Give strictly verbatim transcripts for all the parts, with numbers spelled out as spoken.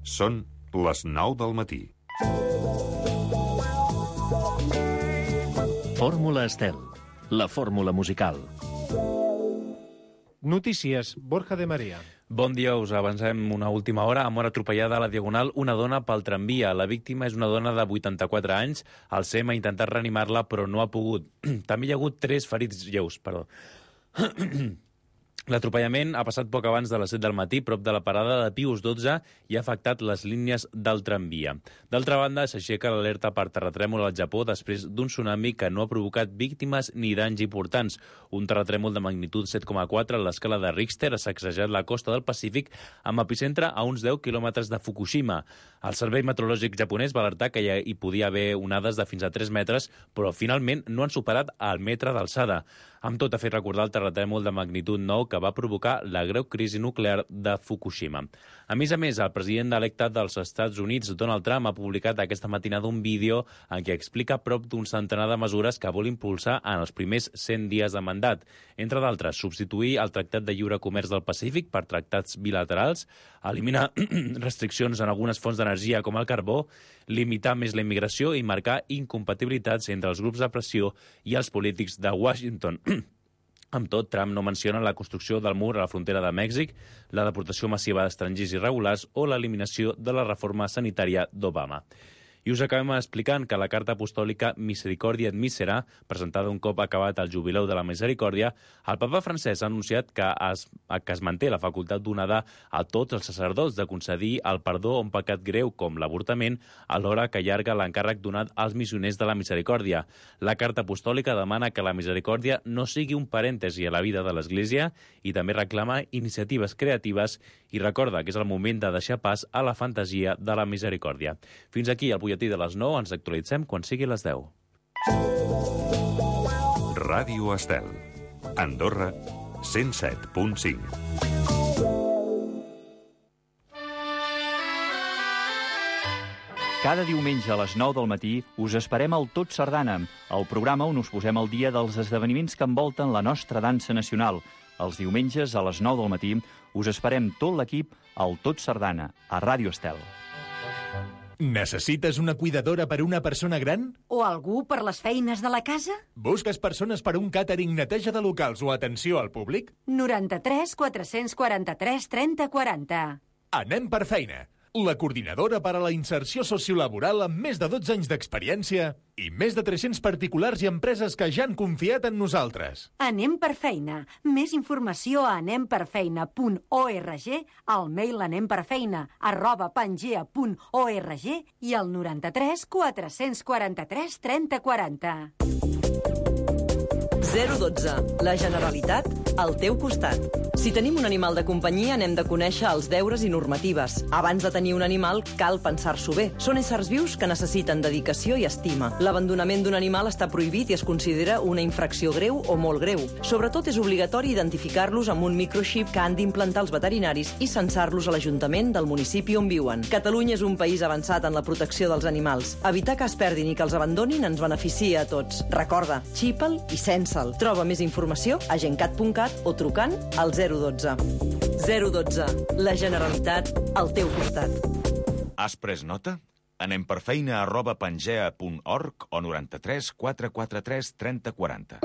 Són les nou del matí. Fórmula Estel, la fórmula musical. Notícies, Borja de María. Bon dia, us avancem una última hora. Ha mort atropellada a la Diagonal una dona pel tramvia. La víctima és una dona de vuitanta-quatre anys. El S E M ha intentat reanimar-la, però no ha pogut. També hi ha hagut tres ferits lleus, perdó. L'atropellament ha passat poc abans de les set del matí, prop de la parada de Pius dotze, i ha afectat les línies del tramvia. D'altra banda, s'aixeca l'alerta per terratrèmol al Japó després d'un tsunami que no ha provocat víctimes ni danys importants. Un terratrèmol de magnitud set coma quatre a l'escala de Richter ha sacsejat la costa del Pacífic amb epicentre a uns deu quilòmetres de Fukushima. El Servei Meteorològic japonès va alertar que hi podia haver onades de fins a tres metres, però finalment no han superat el metre d'alçada. Amb tot, ha fet recordar el terratrèmol de magnitud nou que va provocar la greu crisi nuclear de Fukushima. A més a més, el president electe dels Estats Units, Donald Trump, ha publicat aquesta matinada un vídeo en què explica prop d'un centenar de mesures que vol impulsar en els primers cent dies de mandat. Entre d'altres, substituir el Tractat de Lliure Comerç del Pacífic per tractats bilaterals, eliminar restriccions en algunes fonts d'energia com el carbó, limitar més la immigració i marcar incompatibilitats entre els grups de pressió i els polítics de Washington. Amb tot, Trump no menciona la construcció del mur a la frontera de Mèxic, la deportació massiva d'estrangers irregulars o l'eliminació de la reforma sanitària d'Obama. I us acabem explicant que la carta apostòlica Misericordia et Misera, presentada un cop acabat el jubileu de la Misericòrdia, el papa francès ha anunciat que es, que es manté la facultat donada a tots els sacerdots de concedir el perdó a un pecat greu com l'avortament, alhora que allarga l'encàrrec donat als missioners de la Misericòrdia. La carta apostòlica demana que la misericòrdia no sigui un parèntesi a la vida de l'Església i també reclama iniciatives creatives i recorda que és el moment de deixar pas a la fantasia de la misericòrdia. Fins aquí el butlletí de les nou, ens actualitzem quan sigui les deu. Ràdio Estel. Andorra, cent set punt cinc. Cada diumenge a les nou del matí us esperem al Tot Sardana, el programa on us posem al dia dels esdeveniments que envolten la nostra dansa nacional. Els diumenges a les nou del matí us esperem tot l'equip al Tot Sardana, a Ràdio Estel. Necessites una cuidadora per una persona gran? O algú per les feines de la casa? Busques persones per un càtering, neteja de locals o atenció al públic? noranta-tres quatre-cents quaranta-tres trenta quaranta. Anem per feina. La coordinadora per a la inserció sociolaboral amb més de dotze anys d'experiència i més de tres-cents particulars i empreses que ja han confiat en nosaltres. Anem per feina. Més informació a anem per feina punt org, al mail anemperfeina arroba pangea punt org i al noranta-tres quatre-cents quaranta-tres trenta quaranta. zero dotze. La Generalitat al teu costat. Si tenim un animal de companyia, n'hem de conèixer els deures i normatives. Abans de tenir un animal, cal pensar-s'ho bé. Són éssers vius que necessiten dedicació i estima. L'abandonament d'un animal està prohibit i es considera una infracció greu o molt greu. Sobretot és obligatori identificar-los amb un microxip que han d'implantar els veterinaris i censar-los a l'Ajuntament del municipi on viuen. Catalunya és un país avançat en la protecció dels animals. Evitar que es perdin i que els abandonin ens beneficia a tots. Recorda, xipa'l i censa'l. Troba més informació a gencat punt cat o trucant al zero dotze. zero dotze. La Generalitat al teu costat. Has pres nota? Anem per feina arroba pangea punt org o noranta-tres quatre quaranta-tres trenta quaranta.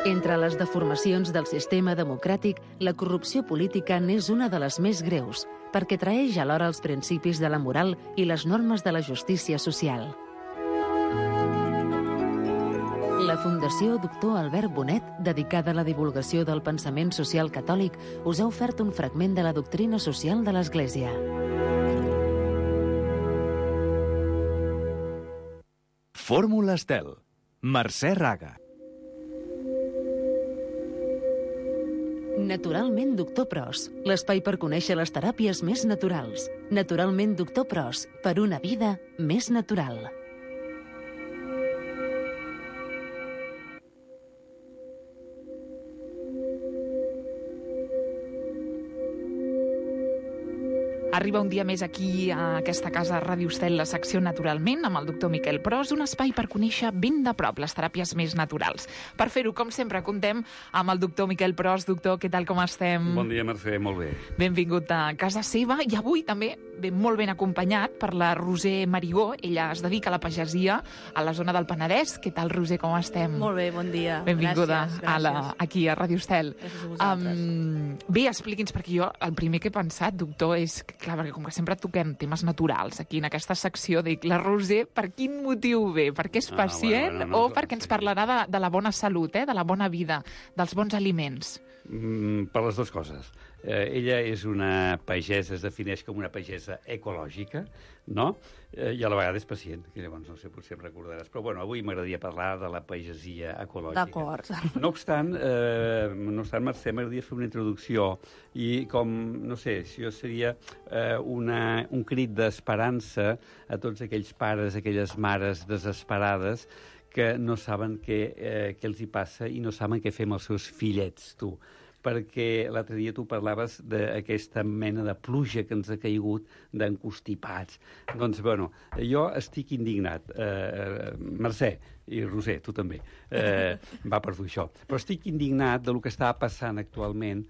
Entre les deformacions del sistema democràtic, la corrupció política n'és una de les més greus, perquè traeix alhora els principis de la moral i les normes de la justícia social. La Fundació Doctor Albert Bonet, dedicada a la divulgació del pensament social catòlic, us ha ofert un fragment de la doctrina social de l'Església. Fórmula Estel. Mercè Raga. Naturalment Doctor Pros, l'espai per conèixer les teràpies més naturals. Naturalment Doctor Pros, per una vida més natural. Arriba un dia més aquí a aquesta casa Ràdio Estel, la secció Naturalment, amb el doctor Miquel Pros, un espai per conèixer ben de prop les teràpies més naturals. Per fer-ho, com sempre, contem amb el doctor Miquel Pros. Doctor, què tal, com estem? Bon dia, Mercè, molt bé. Benvingut a casa seva, i avui també ben molt ben acompanyat per la Roser Marigó. Ella es dedica a la pagesia a la zona del Penedès. Què tal, Roser, com estem? Molt bé, bon dia. Benvinguda gràcies, gràcies. A la, aquí a Ràdio Estel. Gràcies a vosaltres. Um, bé, expliqui'ns, perquè jo el primer que he pensat, doctor, és que, clar, perquè com que sempre toquem temes naturals aquí en aquesta secció, dic, la Roser, per quin motiu ve? Perquè és pacient Ah, bueno, bueno, o perquè ens parlarà de, de la bona salut, eh? De la bona vida, dels bons aliments? Mm, per les dues coses. Eh, ella és una pagesa, es defineix com una pagesa ecològica, no? Eh, I a la vegada és pacient, que llavors no sé, potser em recordaràs. Però bueno, avui m'agradaria parlar de la pagesia ecològica. D'acord. No obstant, eh, no obstant, Mercè, m'agradaria fer una introducció i com, no sé, si jo seria eh, una, un crit d'esperança a tots aquells pares, aquelles mares desesperades que no saben què, eh, què els hi passa i no saben què fer amb els seus fillets, tu. Perquè l'altre dia tu parlaves d'aquesta mena de pluja que ens ha caigut d'encostipats. Doncs, bueno, jo estic indignat. Eh, Mercè i Roser, tu també, eh, va per tu això. Però estic indignat del que està passant actualment,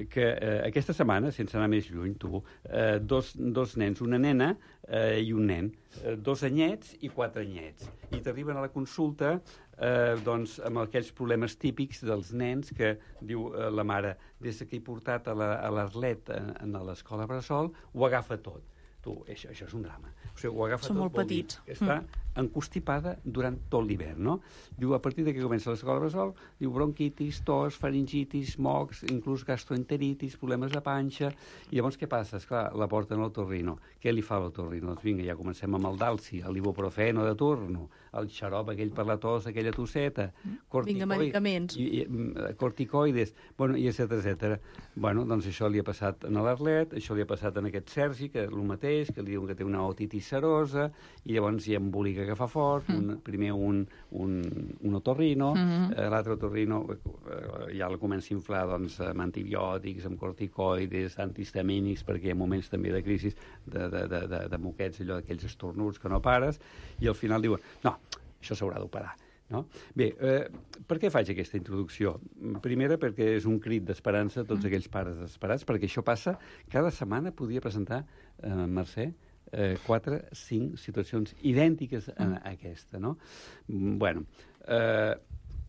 que eh, aquesta setmana, sense anar més lluny, tu, eh, dos, dos nens, una nena eh, i un nen, eh, dos anyets i quatre anyets. I t'arriben a la consulta eh, doncs, amb aquells problemes típics dels nens que, diu eh, la mare, des que he portat a l'Arlet la, a, a l'escola Bressol, ho agafa tot. Tu, això, això és un drama. O sigui, ho agafa Són tot, molt petits. Que està mm. encostipada durant tot l'hivern, no? Diu, a partir de que comença l'escola Bressol, diu bronquitis, tos, faringitis, mocs, inclús gastroenteritis, problemes de panxa. I llavors què passa? Esclar, la porten a l'otorrino. Què li fa l'otorrino? Doncs vinga, ja comencem amb el dalsi, l'ibuprofeno de turno, el xarop aquell per la tos, aquella tosseta, vinga, medicaments. I, i, corticoides, bueno, i etcètera, etcètera. Bueno, doncs això li ha passat a l'Arlet, això li ha passat a aquest Sergi, que el mateix, que li diuen que té una otitis serosa, i llavors hi ha embolica que fa fort, mm. un, primer un, un, un otorrino, mm -hmm. eh, l'altre otorrino eh, ja el comença a inflar doncs, amb antibiòtics, amb corticoides, antihistamínics, perquè hi ha moments també de crisi de, de, de, de, de moquets, allò d'aquells estornuts que no pares, i al final diuen, no, això s'haurà d'operar. No? Bé, eh, per què faig aquesta introducció? Primera, perquè és un crit d'esperança a tots aquells pares desesperats, perquè això passa, cada setmana podria presentar, eh, Mercè, eh, quatre, cinc situacions idèntiques a, a aquesta, no? Bueno, eh,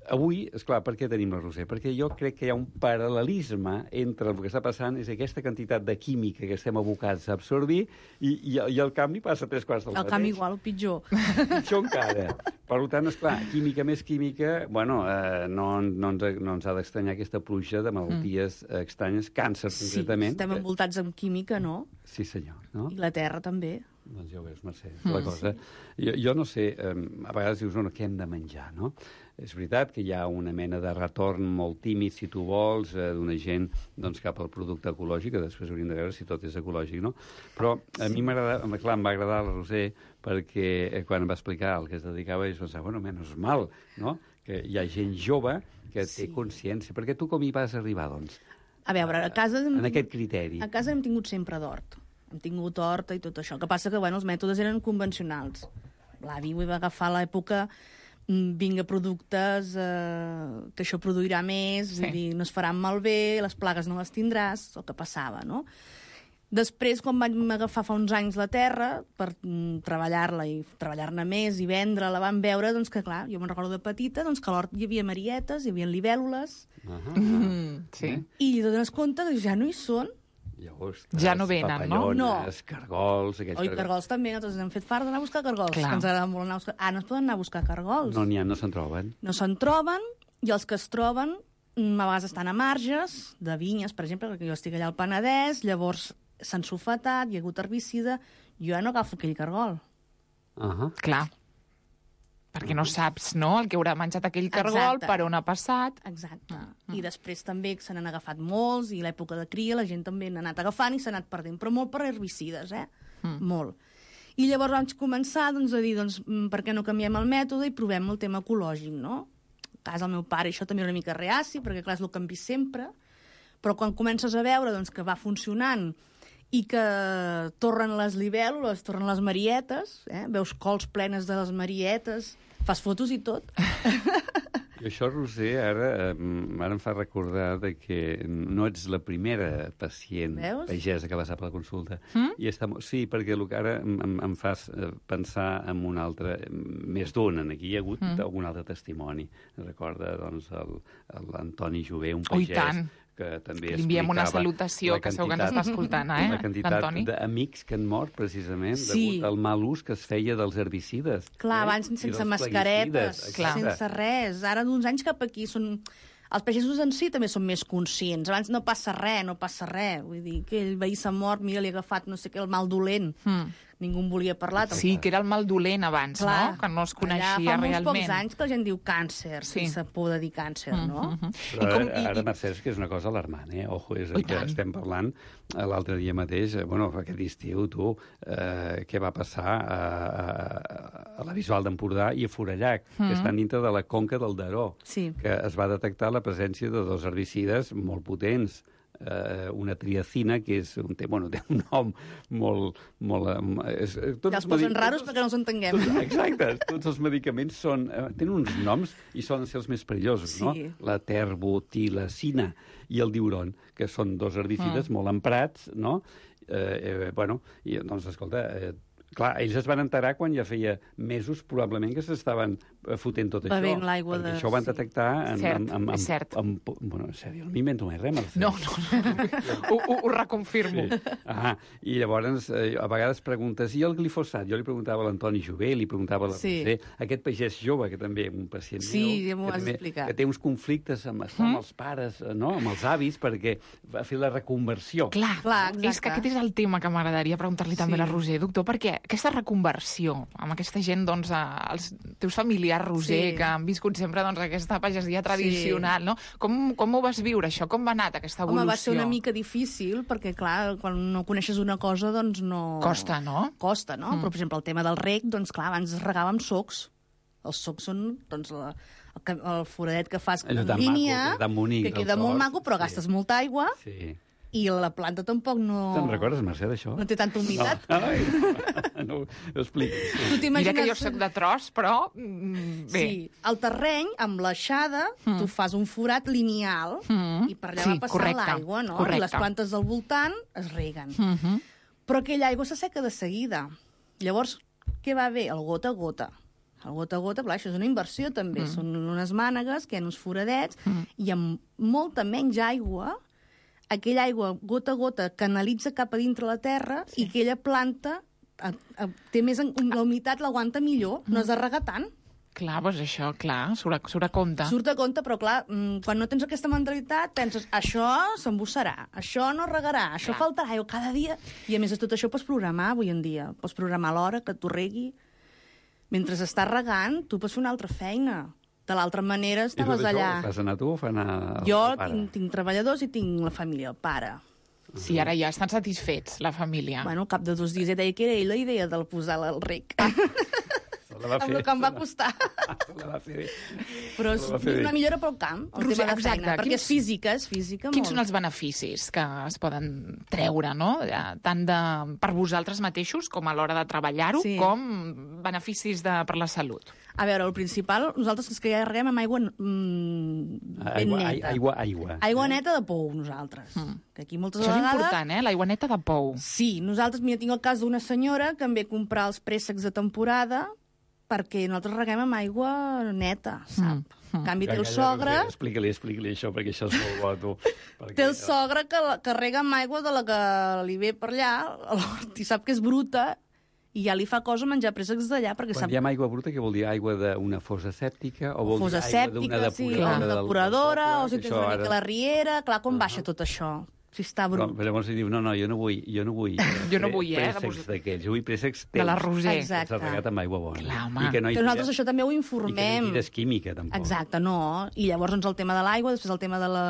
avui, esclar, per què tenim la Roser? Perquè jo crec que hi ha un paral·lelisme entre el que està passant, és aquesta quantitat de química que estem abocats a absorbir i, i, i el canvi passa a tres quarts del mateix. El canvi igual o pitjor. Pitjor encara. Per tant, esclar, química més química, bueno, eh, no, no, ens, no ens ha d'estranyar aquesta pluja de malalties mm. estranyes, càncer, sí, concretament. Sí, estem envoltats amb química, no? Sí, senyor. No? I la terra també. Doncs ja ho veus, Mercè, la mm. cosa. Jo, jo no sé, eh, a vegades dius, no, què hem de menjar, no? És veritat que hi ha una mena de retorn molt tímid, si tu vols, eh, d'una gent doncs, cap al producte ecològic, que després hauríem de veure si tot és ecològic, no? Però a mi m'agrada, clar, em va agradar la Roser perquè eh, quan em va explicar el que es dedicava, és pensar, bueno, menys mal, no?, que hi ha gent jove que sí. té consciència. Perquè tu com hi vas arribar, doncs? A veure, a casa... En tingut, aquest criteri. A casa hem tingut sempre d'hort. Hem tingut horta i tot això. El que passa que, bueno, els mètodes eren convencionals. L'avi ho va agafar a l'època vinga productes, eh, que això produirà més, sí. vull dir, no es faran malbé, les plagues no les tindràs, el que passava, no? Després, quan vam agafar fa uns anys la terra per mm, treballar-la i treballar-ne més i vendre-la, vam veure doncs, que, clar, jo me'n recordo de petita, doncs, que a l'hort hi havia marietes, hi havia libèl·lules, uh -huh. mm, sí. i dones compte que ja no hi són. Llavors, ja no venen, no? No. Cargols... Oi, cargols. cargols també, nosaltres hem fet fart d'anar a buscar cargols. Clar. Que ens agrada molt anar a buscar... Ah, no es poden anar a buscar cargols. No n'hi ha, no se'n troben. No se'n troben, i els que es troben a vegades estan a marges de vinyes, per exemple, perquè jo estic allà al Penedès, llavors s'han sulfatat, hi ha hagut herbicida, jo ja no agafo aquell cargol. Uh -huh. Clar. Perquè no saps, no?, el que haurà menjat aquell cargol, Exacte. per on ha passat. Exacte. Mm. I després també se n'han agafat molts, i l'època de cria la gent també n'ha anat agafant i s'ha anat perdent, però molt per herbicides, eh? Mm. Molt. I llavors vaig començar doncs, a dir, doncs, per què no canviem el mètode i provem el tema ecològic, no? A casa el meu pare això també era una mica reaci, perquè clar, és el que hem vist sempre, però quan comences a veure doncs, que va funcionant i que torren les libèl·lules, torren les marietes, eh? Veus cols plenes de les marietes, fas fotos i tot. I això, Roser, ara, ara em fa recordar de que no ets la primera pacient Veus? pagesa que va passar per la consulta. Mm? I està, sí, perquè el que ara em, em, em fas pensar en un altre, més d'un, aquí hi ha hagut mm. algun altre testimoni. Recorda, doncs, l'Antoni Jové, un Oh, i pagès, tant. que també Li enviem una explicava salutació, la que segur que ens està escoltant, eh, la quantitat l'Antoni? d'amics que han mort, precisament, Sí. degut al mal ús que es feia dels herbicides. Clar, eh? abans I sense dels mascaretes, plaguicides, sense res. Ara, d'uns anys cap aquí, són... els pagesos en si també són més conscients. Abans no passa res, no passa res. Vull dir, que el veí s'ha mort, mira, li ha agafat no sé què, el mal dolent. Mm. Ningú en volia parlar. Tampoc. Sí, que era el mal dolent abans, Clar, no? Que no es coneixia allà fa realment. molts pocs anys que la gent diu càncer, Sí. sense por de dir càncer, Mm, no? mm, mm. Però I com- ara, i- ara i- Mercè, és que és una cosa alarmant, eh? Ojo, és Oh, i que tant. estem parlant eh, l'altre dia mateix, eh, bueno, aquest estiu, tu, eh, què va passar a, a, a la Bisbal d'Empordà i a Forallac, Mm. que estan dintre de la conca del Daró, Sí. que es va detectar la presència de dos herbicides molt potents, eh, una triacina, que és un, té, bueno, té un nom molt... molt eh, és, tots Ja els els posen medi- raros tots- perquè no els entenguem. Tots, exacte, tots els medicaments són, eh, tenen uns noms i solen ser els més perillosos, Sí. no? La terbotilacina i el diuron, que són dos herbicides Mm. molt emprats, no? Eh, eh, bueno, i, doncs, escolta, eh, clar, ells es van enterar quan ja feia mesos, probablement, que s'estaven eh, fotent tot això. Bevent l'aigua perquè de- això ho van sí. detectar... En, Cert, en, en, en, és cert. En, en, bueno, en sèrio, no m'invento mai res, Mercè. No, no, no. ho, ho, ho reconfirmo. Sí. Ah, i llavors eh, a vegades preguntes, i el glifosat? Jo li preguntava a l'Antoni Jové, li preguntava a la Sí. Roser, aquest pagès jove, que també un pacient Sí, meu, ja m'ho que, has també- explicat. que té uns conflictes amb, mm? amb els pares, eh, no? amb els avis, perquè va fer la reconversió. Clar, Clar, és que exacte. aquest és el tema que m'agradaria preguntar-li també Sí. a la Roser, doctor, perquè aquesta reconversió amb aquesta gent, doncs, a- els teus familiars, Roser, Sí. que han viscut sempre doncs, aquesta pagesia tradicional, no? Com, com ho vas viure, això? Com va anar aquesta evolució? Home, va ser una mica difícil, perquè, clar, quan no coneixes una cosa, doncs no... Costa, no? Costa, no? Mm. Però, per exemple, el tema del reg, doncs, clar, abans es regava amb socs. Els socs són, doncs, la, el, que- el foradet que fas Allò en tan línia, maco, tan bonic, que el queda molt tros, maco, però sí. gastes molta aigua, Sí. i la planta tampoc no... Te'n recordes, Mercè, d'això? No té tanta humitat. No. Ai, no, ho explico. Tu t'imagines... Mira que jo soc de tros, però... mm, Bé. Sí, el terreny, amb l'aixada, mm. tu fas un forat lineal Mm. i per allà Sí, va passant correcte, l'aigua, no? correcte. I les plantes del voltant es reguen. Mm -hmm. Però aquella aigua s'asseca de seguida. Llavors, què va bé? El gota a gota. El gota a gota, clar, això és una inversió també. Mm. Són unes mànegues, que hi ha uns foradets, mm. i amb molta menys aigua, aquella aigua gota a gota canalitza cap a dintre la terra sí. i aquella planta a, a, té més... En, la humitat l'aguanta millor, mm. no has de regar tant. Clar, doncs això, clar, surt a, surt a compte. Surt a compte, però clar, quan no tens aquesta mentalitat, penses, això s'embussarà, això no regarà, això Clar. faltarà aigua cada dia. I a més de tot això pots programar avui en dia. Pots programar l'hora que tu regui. Mentre estàs regant, tu pots fer una altra feina. De l'altra manera, I tot estaves això allà. ho fas anar tu o fa anar el Jo pare? tinc, tinc treballadors i tinc la família, el pare. Sí, ara ja estan satisfets, la família. Bueno, al cap de dos dies ja deia que era ell la idea de posar el rec. La va Amb fer. el que em va costar. La va fer bé. Però és La va fer bé. una millora pel camp, el Roser, tema de exacte. feina, perquè Quins- és física, és física Quins molt. són els beneficis que es poden treure, no? Ja, tant de, per vosaltres mateixos, com a l'hora de treballar-ho, Sí. com beneficis de, per la salut? A veure, el principal, nosaltres és que ja reguem amb aigua mm, ben Aigua, ai- neta. aigua, aigua. Aigua neta de pou, nosaltres. Mm. Que aquí moltes Això és vegades... important, eh? L'aigua neta de pou. Sí, nosaltres, mira, tinc el cas d'una senyora que em ve a comprar els préssecs de temporada perquè nosaltres reguem amb aigua neta, sap? Mm. En canvi, té el Calla, sogre, Roser, Explica-li, explica-li això, perquè això és molt bo, tu. Perquè, té el sogre que, la- que rega amb aigua de la que li ve per allà, a l'hort, i sap que és bruta, i ja li fa cosa menjar préssecs d'allà, perquè Quan sap... diem aigua bruta, què vol dir? Aigua d'una fossa sèptica? O vol Fosa dir aigua d'una sèptica, sí, o depuradora? una del- depuradora, del o si poble? tens Això una mica ara- la riera... Clar, com baixa tot això? Si està Però, brut. però llavors li diu, no, no, jo no vull, jo no vull, Jo no vull, eh, de préssecs vos- d'aquells, jo vull préssecs De la teus. Roser. Exacte. Que s'ha regat amb aigua bona. Clar, home. I que no hi Que nosaltres tires- això també ho I que no informem. hi tires química, tampoc. Exacte, no. I llavors, doncs, el tema de l'aigua, després el tema de la,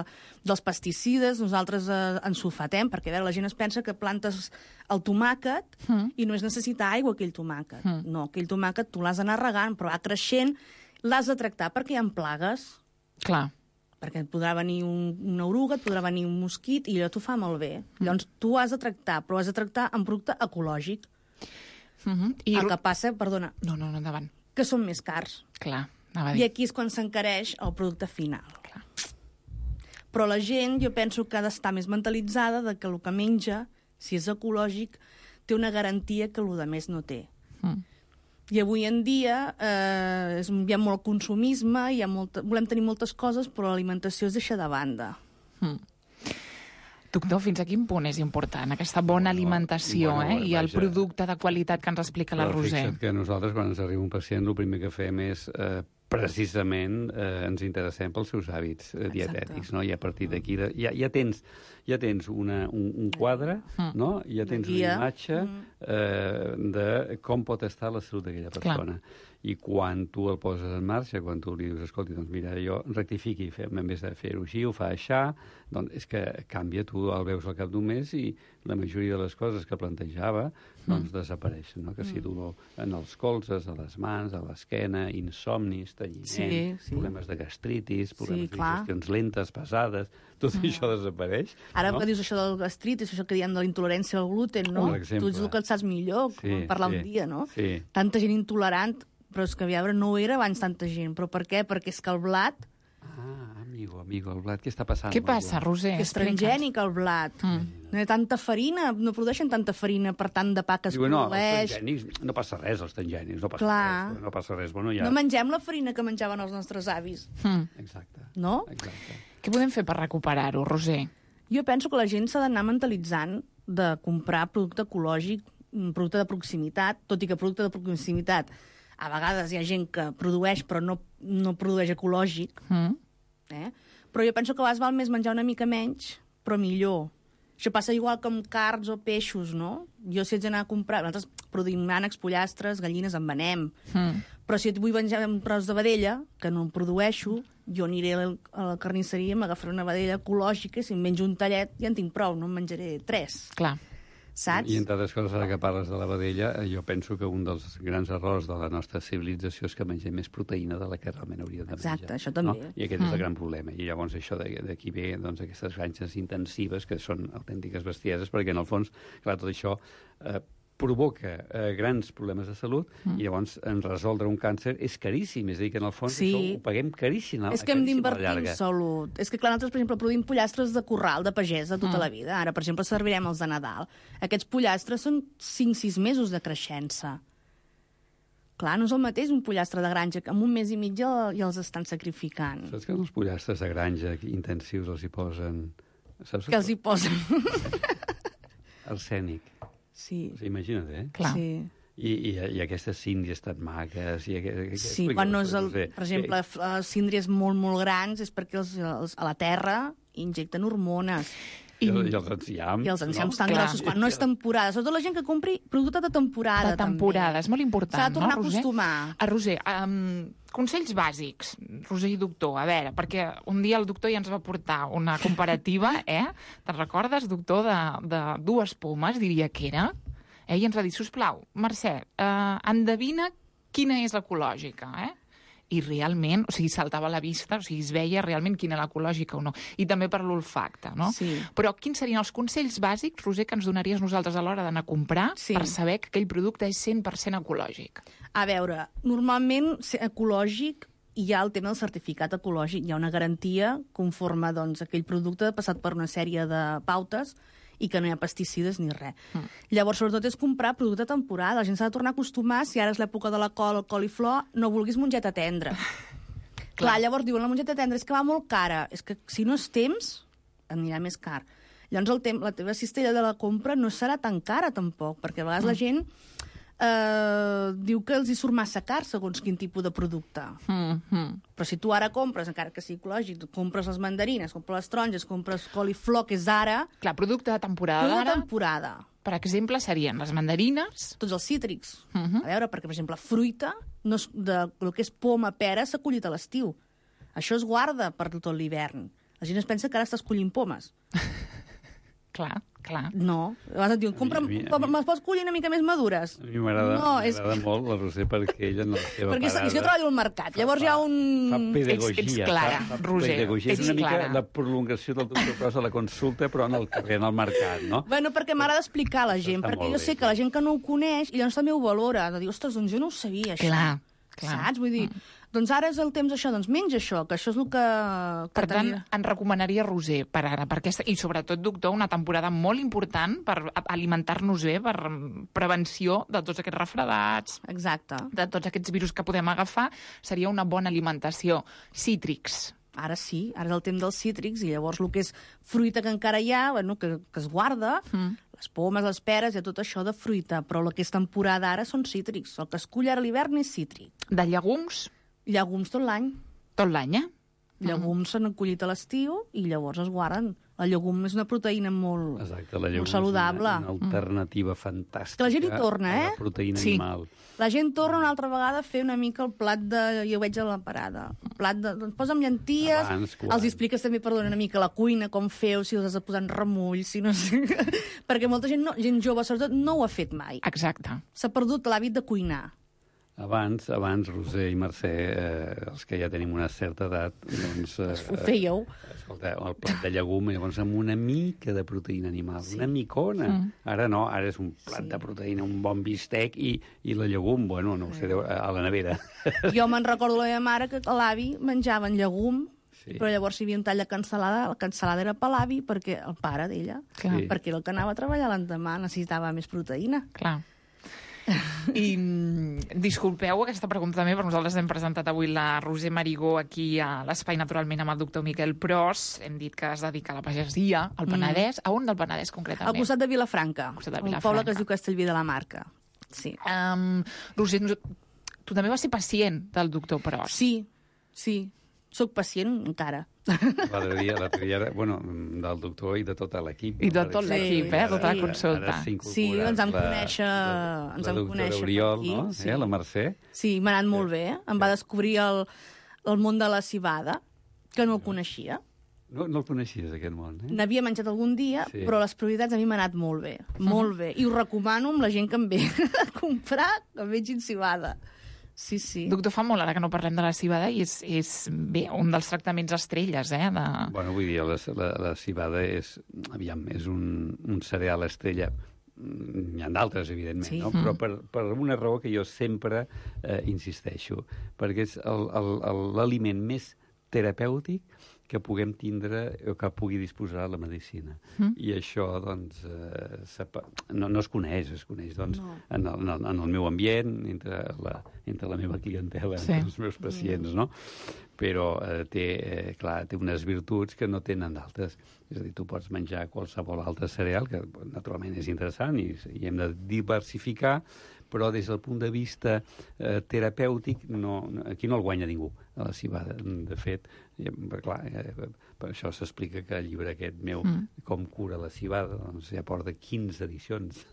dels pesticides, nosaltres eh, ens sulfatem, perquè a veure, la gent es pensa que plantes el tomàquet Mm. i no és necessitar aigua, aquell tomàquet. Mm. No, aquell tomàquet tu l'has d'anar regant, però va creixent, l'has de tractar perquè hi ha plagues. Clar. perquè et podrà venir un, una oruga, et podrà venir un mosquit, i allò t'ho fa molt bé. Llavors, tu ho has de tractar, però ho has de tractar amb producte ecològic. Uh-huh. I... El que passa, perdona... No, no, no, endavant. Que són més cars. Clar, anava a dir. I aquí és quan s'encareix el producte final. Clar. Però la gent, jo penso que ha d'estar més mentalitzada de que el que menja, si és ecològic, té una garantia que el de més no té. Mm. I avui en dia eh, és, hi ha molt consumisme, hi ha molta, volem tenir moltes coses, però l'alimentació es deixa de banda. Mm. Doctor, fins a quin punt és important aquesta bona alimentació bueno, eh? i el vaja. producte de qualitat que ens explica la Però Roser? Fixa't que nosaltres, quan ens arriba un pacient, el primer que fem és, eh, precisament, eh, ens interessem pels seus hàbits eh, dietètics, no? I a partir d'aquí de, ja, ja tens, ja tens una, un, un quadre, mm. no? Ja tens una imatge eh, de com pot estar la salut d'aquella persona. Clar. I quan tu el poses en marxa, quan tu li dius, escolti, doncs mira, jo rectifiqui, fem, en vez de fer-ho així, ho fa així, doncs és que canvia, tu el veus al cap d'un mes i la majoria de les coses que plantejava doncs mm. desapareixen, no? Que si dolor en els colzes, a les mans, a l'esquena, insomnis, talliment, sí, sí. problemes de gastritis, problemes sí, de digestions lentes, pesades, tot mm. això desapareix. Ara no? que dius això del gastritis, això que diem de la intolerància al gluten, no? Tu ets el que et saps millor, sí, parlar sí, un dia, no? Sí. Tanta gent intolerant, però és que a veure, no ho era abans tanta gent. Però per què? Perquè és que el blat... Ah, amigo, amigo, el blat, què està passant? Què passa, Roser? Que és transgènic, el blat. Mm. No hi ha tanta farina, no produeixen tanta farina per tant de pa que es Diu, no, produeix. Els transgènics, no passa res, els transgènics, no passa Clar. res. No passa res. Bueno, ja... No mengem la farina que menjaven els nostres avis. Mm. Exacte. No? Exacte. Què podem fer per recuperar-ho, Roser? Jo penso que la gent s'ha d'anar mentalitzant de comprar producte ecològic, producte de proximitat, tot i que producte de proximitat a vegades hi ha gent que produeix però no, no produeix ecològic, mm. eh? Però jo penso que a vegades val més menjar una mica menys, però millor. Això passa igual com carns o peixos, no? Jo si haig d'anar a comprar... Nosaltres produïm ànecs, pollastres, gallines, en venem. Mm. Però si et vull menjar un tros de vedella, que no en produeixo, jo aniré a la carnisseria i m'agafaré una vedella ecològica i si em menjo un tallet ja en tinc prou, no en menjaré tres. Clar. Saps? I entre altres coses, ara que parles de la vedella, jo penso que un dels grans errors de la nostra civilització és que mengem més proteïna de la que realment hauríem de menjar. Exacte, això també. No? I aquest mm. és el gran problema. I llavors això d'aquí ve doncs, aquestes granges intensives que són autèntiques bestieses, perquè en el fons, clar, tot això eh, provoca eh, grans problemes de salut mm. i llavors en resoldre un càncer és caríssim. És a dir, que en el fons sí. això ho paguem caríssim. És que hem d'invertir en salut. És que, clar, nosaltres, per exemple, produïm pollastres de corral, de pagès, de tota mm. la vida. Ara, per exemple, servirem els de Nadal. Aquests pollastres són cinc sis mesos de creixença. Clar, no és el mateix un pollastre de granja, que en un mes i mig ja, ja els estan sacrificant. Saps que els pollastres de granja intensius els hi posen... Saps que els hi posen? Arsènic. Sí. O sigui, imagina't, eh? Clar. Sí. I, i, i aquestes síndries tan maques... I, i, sí, quan no és el, per exemple, que... síndries molt, molt grans és perquè els, els, a la terra injecten hormones. I, I, i els enciams. I els enciams no? tan grossos, quan no és temporada. Sobretot la gent que compri producte de temporada. De temporada, també. És molt important, s'ha de tornar no, a acostumar. A Roser, um, consells bàsics, Roser i doctor, a veure, perquè un dia el doctor ja ens va portar una comparativa, eh? Te'n recordes, doctor, de, de dues pomes, diria que era? Eh? I ens va dir, sisplau, Mercè, eh, endevina quina és l'ecològica, eh? I realment, o sigui, saltava a la vista, o sigui, es veia realment quina era l'ecològica o no. I també per l'olfacte, no? Sí. Però quins serien els consells bàsics, Roser, que ens donaries nosaltres a l'hora d'anar a comprar sí. per saber que aquell producte és cent per cent ecològic? A veure, normalment ecològic hi ha el tema del certificat ecològic. Hi ha una garantia conforme doncs, aquell producte ha passat per una sèrie de pautes i que no hi ha pesticides ni res. Mm. Llavors, sobretot, és comprar producte de temporada. La gent s'ha de tornar a acostumar, si ara és l'època de la col, el coliflor, no vulguis mongeta tendra. Clar. Clar, llavors diuen, la mongeta tendra és que va molt cara. És que si no és temps, anirà més car. Llavors, el tem la teva cistella de la compra no serà tan cara, tampoc, perquè a vegades mm. la gent eh, diu que els hi surt massa car segons quin tipus de producte. Mm -hmm. Però si tu ara compres, encara que sigui ecològic, compres les mandarines, compres les taronges, compres coliflor, que és ara... Clar, producte de temporada d'ara. Producte de temporada. Per exemple, serien les mandarines... Tots els cítrics. Uh -huh. A veure, perquè, per exemple, fruita, no és, de, el que és poma, pera, s'ha collit a l'estiu. Això es guarda per tot l'hivern. La gent es pensa que ara està escollint pomes. Clar. Clar. No. Llavors et diuen, compra, me'ls pots collir una mica més madures? A mi m'agrada no, és... molt la Roser perquè ella en la seva perquè parada... Perquè jo treballo al mercat, llavors hi ha un... Fa pedagogia. Ets, ets clara, fa, fa Roser, pedagogia. ets És una mica clara. la prolongació del doctor Pros a la consulta, però en el carrer, en el mercat, no? Bueno, perquè m'agrada explicar a la gent, Està perquè molt jo bé, sé que la gent que no ho coneix, i llavors també ho valora, de dir, ostres, doncs jo no ho sabia, això. Clar, clar. Saps? Vull dir, mm. doncs ara és el temps això, doncs menja això, que això és el que... que per tant, tenia. en recomanaria Roser per ara, per aquesta, i sobretot, doctor, una temporada molt important per alimentar-nos bé, per prevenció de tots aquests refredats, exacte, de tots aquests virus que podem agafar, seria una bona alimentació. Cítrics. Ara sí, ara és el temps dels cítrics, i llavors el que és fruita que encara hi ha, bueno, que, que es guarda, mm. les pomes, les peres, i tot això de fruita, però el que és temporada ara són cítrics. El que es cull ara a l'hivern és cítric. De llegums? Llegums tot l'any. Tot l'any, eh? Llegums s'han collit a l'estiu i llavors es guarden. La llegum és una proteïna molt, Exacte, la llegum molt saludable. És una, una alternativa mm. fantàstica. Que la gent hi torna, eh? A la proteïna sí. animal. La gent torna una altra vegada a fer una mica el plat de... Jo ho veig a la parada. El plat de... Doncs posa'm llenties, Abans, els expliques també, perdona, una mica la cuina, com feu, si els has de posar en remull, si no sé... Perquè molta gent, no, gent jove, sobretot, no ho ha fet mai. Exacte. S'ha perdut l'hàbit de cuinar. Abans, abans, Roser i Mercè, eh, els que ja tenim una certa edat, doncs... Eh, ho fèieu. Escolta, el plat de llegum, llavors amb una mica de proteïna animal, sí. una micona. Mm. Ara no, ara és un plat sí. de proteïna, un bon bistec i, i la llegum, bueno, no ho sé, a la nevera. Jo me'n recordo la meva mare que l'avi menjava en llegum, sí. però llavors hi havia un tall de cansalada, la cansalada era per l'avi, perquè el pare d'ella, sí. perquè era el que anava a treballar l'endemà, necessitava més proteïna. Clar. I disculpeu aquesta pregunta també, però nosaltres hem presentat avui la Roser Marigó aquí a l'Espai Naturalment amb el doctor Miquel Pros. Hem dit que es dedica a la pagesia, al Penedès. Mm. A on del Penedès, concretament? Al costat de Vilafranca, al costat de Vilafranca. Un poble que es diu Castellví de la Marca. Sí. Um, Roser, tu també vas ser pacient del doctor Pros. Sí, sí. Soc pacient encara. L'altre dia, l'altre dia, bueno, del doctor i de tot l'equip. I de tot l'equip, eh? Tota la consulta. Sí, ens vam conèixer... La, ens la vam doctora Oriol, aquí, no? Sí. Eh, la Mercè. Sí, m'ha anat molt bé. Em va descobrir el, el món de la cibada, que no el coneixia. No, no el coneixies, aquest món, eh? N'havia menjat algun dia, sí. però les prioritats a mi m'ha anat molt bé. Molt bé. I ho recomano amb la gent que em ve a comprar, que em vegin cibada. Sí, sí. Doctor, fa molt ara que no parlem de la cibada i és, és bé, un dels tractaments estrelles, eh? De... Bueno, vull dir, la, la, la cibada és, aviam, és un, un cereal estrella. N'hi ha d'altres, evidentment, sí. no? Però per, per una raó que jo sempre eh, insisteixo, perquè és l'aliment més terapèutic que puguem tindre o que pugui disposar la medicina. Mm. I això, doncs, eh, no, no es coneix, es coneix, doncs, no. en, el, en, el, en el meu ambient, entre la, entre la meva clientela, sí. entre els meus pacients, no? Però eh, té, eh, clar, té unes virtuts que no tenen d'altres. És a dir, tu pots menjar qualsevol altre cereal, que naturalment és interessant i, i hem de diversificar, però des del punt de vista eh, terapèutic, no, aquí no el guanya ningú, a la cibada. De fet, eh, clar, eh, per això s'explica que el llibre aquest meu, mm. Com cura la cibada, doncs ja porta quinze edicions,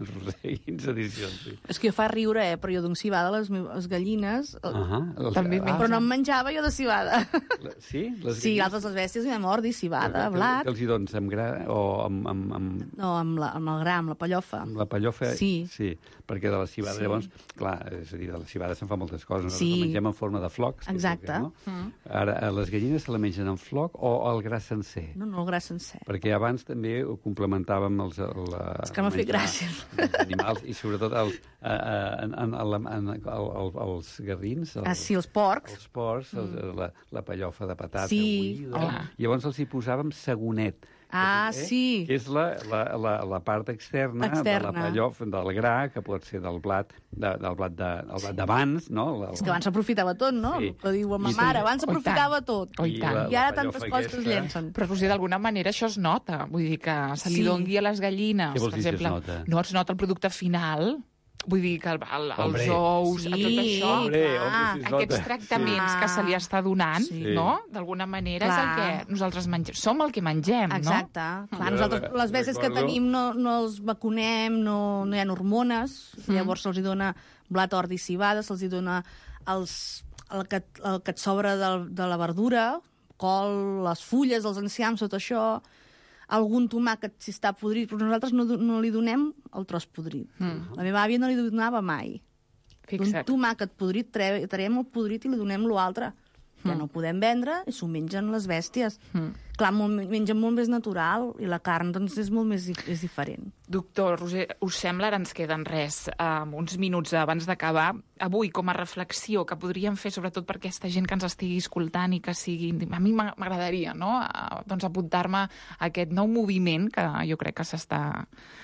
quinze edicions, sí. És que jo fa riure, eh, però jo d'un cibada, les meves gallines, uh -huh. el, també ah, però no em menjava jo de cibada. La, sí? Les sí, altres les bèsties, i m'amor, di cibada, que, blat. Que els hi dones amb gra o amb... amb, amb... No, amb, la, amb el gra, amb la pallofa. Amb la pallofa, sí. Sí, perquè de la cibada, sí. Llavors, clar, és a dir, de la cibada se'n fa moltes coses. Sí. La mengem en forma de flocs. Exacte. Que, no? mm. Ara, a les gallines se la mengen en floc o el gra sencer? No, no, el gra sencer. Perquè abans també ho complementàvem els... La, és que m'ha fet gràcia. Els animals, i sobretot els, en, en, en, en, el, els garrins. Els, ah, sí, els porcs. Els porcs, mm. el, la, la pallofa de patata sí. buida. Oh. Llavors els hi posàvem sagonet. Ah, eh? sí. Que és la, la, la, la part externa, externa. de la pallofa, del gra, que pot ser del blat de, del blat de, del blat d'abans, no? El, és que abans s'aprofitava tot, no? Sí. Que diu ma mare, abans s'aprofitava tot. Oh, i, I, I ara tantes coses que es llencen. Però, Roser, d'alguna manera això es nota. Vull dir que se li sí. dongui a les gallines. Què vols per dir exemple, es nota? No es nota el producte final. Vull dir que el, el, els ous, sí, a tot això, hombre, hombre, si aquests tractaments sí. que se li està donant, sí. no? D'alguna manera clar. És el que nosaltres mengem. Som el que mengem, exacte. no? Exacte. Clar, nosaltres les bèsties que tenim no, no els vacunem, no, no hi ha hormones, mm. llavors se'ls dona blat, ordi, cibada, se'ls dona els, el, que, el que et sobra de, de la verdura, col, les fulles, els enciams, tot això. algun tomàquet si està podrit, però nosaltres no, no li donem el tros podrit. Mm. La meva àvia no li donava mai. Fixa't. Un tomàquet podrit, tre traiem el podrit i li donem l'altre. Ja no ho podem vendre i s'ho mengen les bèsties. Mm. Clar, molt, mengen molt més natural i la carn doncs, és molt més és diferent. Doctor Roser, us sembla, ara ens queden res, um, uns minuts abans d'acabar, avui com a reflexió que podríem fer sobretot per aquesta gent que ens estigui escoltant i que sigui... A mi m'agradaria, no?, uh, doncs apuntar-me a aquest nou moviment que jo crec que s'està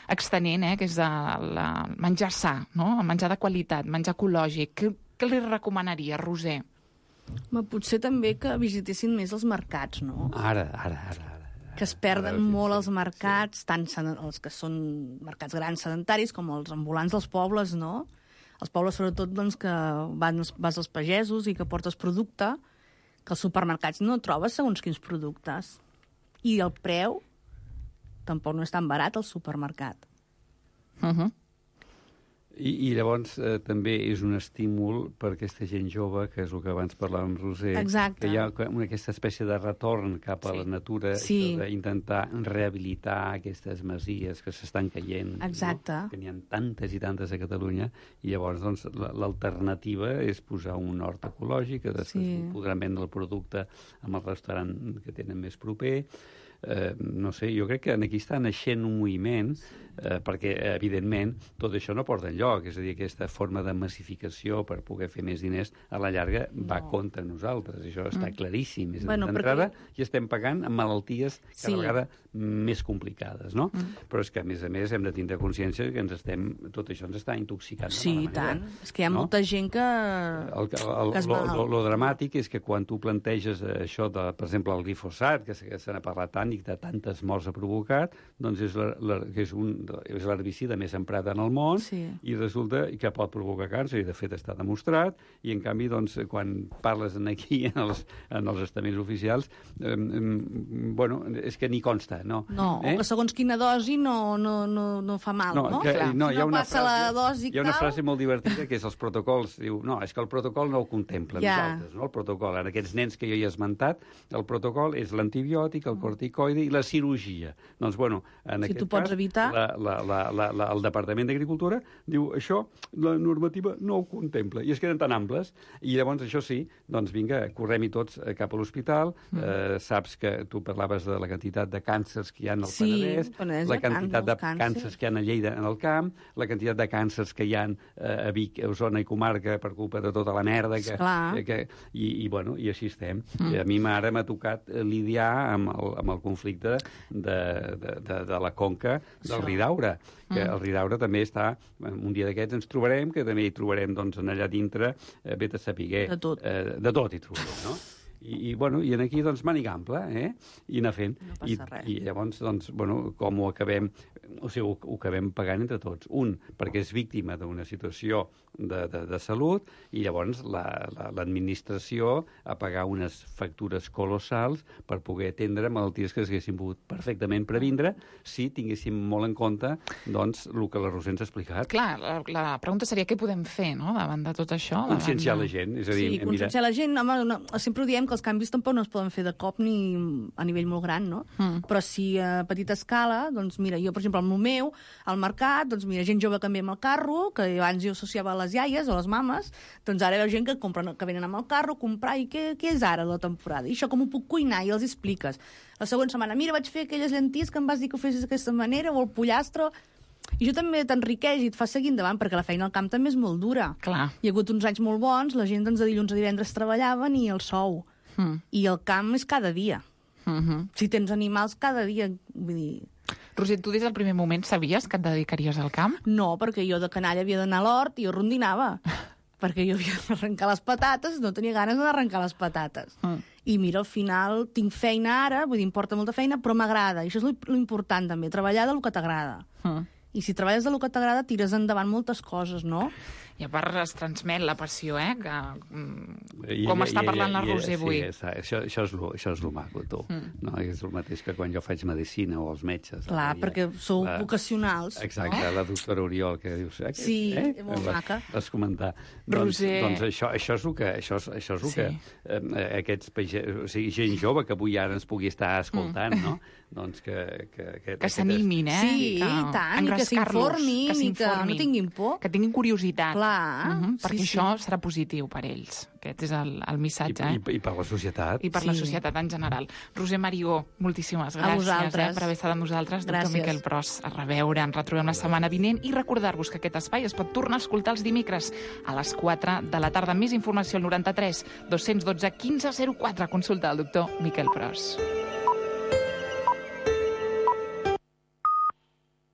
extenent, eh, que és el la menjar sa, no?, el menjar de qualitat, menjar ecològic. Què, què li recomanaria, Roser? Ma, potser també que visitessin més els mercats, no? Ara, ara, ara. ara. Que es perden ara, molt els mercats, sí. tant els que són mercats grans sedentaris com els ambulants dels pobles, no? Els pobles, sobretot, doncs, que van, vas als pagesos i que portes producte, que als supermercats no trobes segons quins productes. I el preu tampoc no és tan barat al supermercat. Uh-huh. I, i llavors eh, també és un estímul per aquesta gent jove, que és el que abans parlàvem amb Roser, Exacte. que hi ha una, aquesta espècie de retorn cap a sí. la natura, sí. d'intentar rehabilitar aquestes masies que s'estan caient. Exacte. No? Que n'hi ha tantes i tantes a Catalunya, i llavors doncs, l'alternativa és posar un hort ecològic, que després sí. podran vendre el producte amb el restaurant que tenen més proper. Eh, no sé, jo crec que aquí està naixent un moviment, eh, perquè, evidentment, tot això no porta enlloc. És a dir, aquesta forma de massificació per poder fer més diners, a la llarga va no. contra nosaltres. Això està mm. claríssim. És bueno, d'entrada, perquè... i estem pagant amb malalties cada sí. vegada més complicades, no? Mm. Però és que, a més a més, hem de tindre consciència que ens estem, tot això ens està intoxicant. Sí, i tant. És que hi ha no? molta gent que... El, el, el, que es lo, lo, lo dramàtic és que quan tu planteges això, de, per exemple, el glifosat, que se n'ha parlat tant i de tantes morts ha provocat, doncs és, la, la, que és, un, és l'herbicida més emprat en el món, sí. i resulta que pot provocar càncer, i de fet està demostrat, i en canvi, doncs, quan parles aquí en els, en els estaments oficials, eh, eh, bueno, és que ni consta, no? No, eh? o que segons quina dosi no, no, no, no fa mal, no? No, que, no, si no passa frase, la dosi hi ha una frase molt divertida, que és els protocols, diu, no, és que el protocol no ho contempla ja. nosaltres, no? El protocol, en aquests nens que jo hi he esmentat, el protocol és l'antibiòtic, el corticoide i la cirurgia. Doncs, bueno, en si aquest tu pots cas, evitar... la, la, la, la, la, el Departament d'Agricultura diu, això, la normativa no ho contempla, i es queden tan amples, i llavors, això sí, doncs vinga, correm-hi tots cap a l'hospital, mm. eh, saps que tu parlaves de la quantitat de càncers que hi ha al sí, Penedès, Penedès la quantitat de càncers. càncers que hi ha a Lleida en el camp, la quantitat de càncers que hi ha eh, a Vic, a Osona i comarca per culpa de tota la merda que... que, que i, i, bueno, i així estem. Mm. I a mi ara m'ha tocat lidiar amb el, amb el conflicte de, de, de, de la conca del Ridaura, que mm. el Ridaura també està, un dia d'aquests ens trobarem, que també hi trobarem doncs, allà dintre, eh, vet a sapiguer. De tot. Eh, de tot hi trobarem, no? I, i, bueno, i aquí, doncs, màniga ampla, eh? I anar fent. No passa I, res. I llavors, doncs, bueno, com ho acabem... O sigui, ho, ho acabem pagant entre tots. Un, perquè és víctima d'una situació de, de, de salut, i llavors l'administració la, la, a pagar unes factures colossals per poder atendre malalties que s'haguessin pogut perfectament previndre si tinguéssim molt en compte, doncs, el que la Roser ens ha explicat. Clar, la, la pregunta seria què podem fer, no?, davant de tot això. Conscienciar de... la gent. És a dir, sí, conscienciar mira... la gent. Home, no, sempre ho diem que els canvis tampoc no es poden fer de cop ni a nivell molt gran, no? Mm. Però si a petita escala, doncs mira, jo, per exemple, al meu, al mercat, doncs mira, gent jove que ve amb el carro, que abans jo associava a les iaies o les mames, doncs ara veu gent que compren, que venen amb el carro a comprar, i què, què és ara la temporada? I això com ho puc cuinar? I els expliques. La següent setmana, mira, vaig fer aquelles llenties que em vas dir que ho fessis d'aquesta manera, o el pollastre... I això també t'enriqueix i et fa seguir endavant, perquè la feina al camp també és molt dura. Clar. Hi ha hagut uns anys molt bons, la gent doncs, de dilluns a divendres treballaven i el sou. Mm. I el camp és cada dia. Mm-hmm. Si tens animals, cada dia. Vull dir... Roser, tu des del primer moment sabies que et dedicaries al camp? No, perquè jo de canalla havia d'anar a l'hort i jo rondinava. perquè jo havia d'arrencar les patates, no tenia ganes d'arrencar les patates. Mm. I mira, al final tinc feina ara, vull dir, em porta molta feina, però m'agrada. I això és l'important també, treballar del que t'agrada. Mm. i si treballes de lo que t'agrada tires endavant moltes coses, no? I a part es transmet la passió, eh? Que, I, com i, està parlant i, la i, Roser avui. Sí, això, això, és lo, això és lo maco, tu. Mm. No? És el mateix que quan jo faig medicina o els metges. Clar, ja, perquè sou la, vocacionals. Exacte, no? la doctora Oriol, que dius... Eh, Sí, eh? molt vas, maca. Vas comentar. Roser... Doncs, doncs això, això és el que... Això és, això és el Sí. que eh, aquests page... o sigui, gent jove que avui ara ens pugui estar escoltant, mm. no? Doncs que... Que, que, que s'animin, eh? Sí, que, i tant, i que s'informin, i que no tinguin por. Que tinguin curiositat. Clar, uh -huh, perquè sí, això sí. serà positiu per ells. Aquest és el, el missatge, I, eh? i, I per la societat. I per Sí. la societat en general. Roser Marigó, moltíssimes A gràcies vosaltres. eh, per haver estat amb nosaltres. Doctor Gràcies. Miquel Pros, a reveure. Ens retrobem la setmana vinent i recordar-vos que aquest espai es pot tornar a escoltar els dimecres a les quatre de la tarda. Més informació al noranta-tres dos cents dotze quinze zero quatre. Consulta el doctor Miquel Pros.